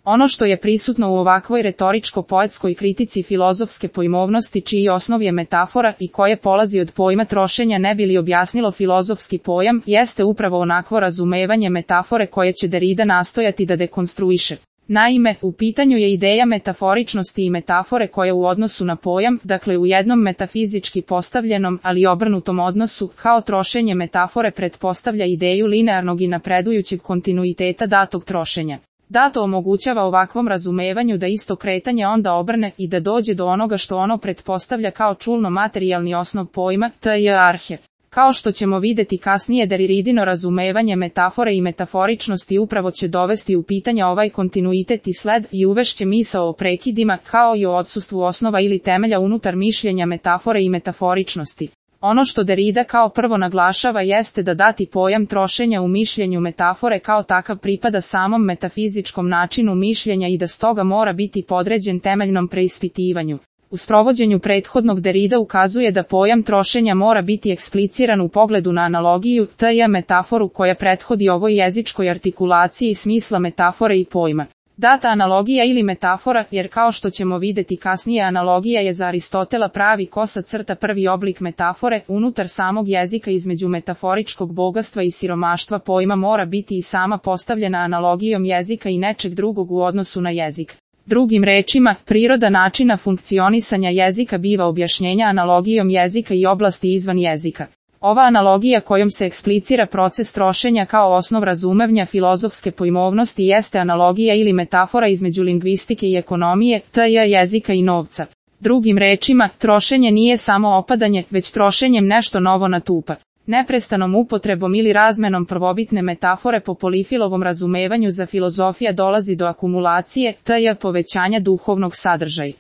Ono što je prisutno u ovakvoj retoričko-poetskoj kritici filozofske pojmovnosti čiji osnov je metafora i koje polazi od pojma trošenja ne bi li objasnilo filozofski pojam, jeste upravo onakvo razumevanje metafore koje će Derrida nastojati da dekonstruiše. Naime, u pitanju je ideja metaforičnosti i metafore koja u odnosu na pojam, dakle u jednom metafizički postavljenom, ali obrnutom odnosu, kao trošenje metafore pretpostavlja ideju linearnog i napredujućeg kontinuiteta datog trošenja. Dato omogućava ovakvom razumevanju da isto kretanje onda obrne i da dođe do onoga što ono pretpostavlja kao čulno materijalni osnov pojma, t.j. arhe. Kao što ćemo vidjeti kasnije, Derridino razumevanje metafore i metaforičnosti upravo će dovesti u pitanje ovaj kontinuitet i sled i uvešće misao o prekidima, kao i o odsustvu osnova ili temelja unutar mišljenja metafore i metaforičnosti. Ono što Derrida kao prvo naglašava jeste da dati pojam trošenja u mišljenju metafore kao takav pripada samom metafizičkom načinu mišljenja i da stoga mora biti podređen temeljnom preispitivanju. U sprovođenju prethodnog Derrida ukazuje da pojam trošenja mora biti ekspliciran u pogledu na analogiju, t.j. metaforu koja prethodi ovoj jezičkoj artikulaciji smisla metafore i pojma. Data analogija ili metafora, jer kao što ćemo vidjeti kasnije analogija je za Aristotela pravi kosa crta prvi oblik metafore, unutar samog jezika između metaforičkog bogatstva i siromaštva pojma mora biti i sama postavljena analogijom jezika i nečeg drugog u odnosu na jezik. Drugim rečima, priroda načina funkcionisanja jezika biva objašnjenja analogijom jezika i oblasti izvan jezika. Ova analogija kojom se eksplicira proces trošenja kao osnov razumevanja filozofske pojmovnosti jeste analogija ili metafora između lingvistike i ekonomije, t.j. jezika i novca. Drugim rečima, trošenje nije samo opadanje, već trošenjem nešto novo natupa. Neprestanom upotrebom ili razmenom prvobitne metafore po Polifilovom razumevanju za filozofija dolazi do akumulacije, t.j. povećanja duhovnog sadržaja.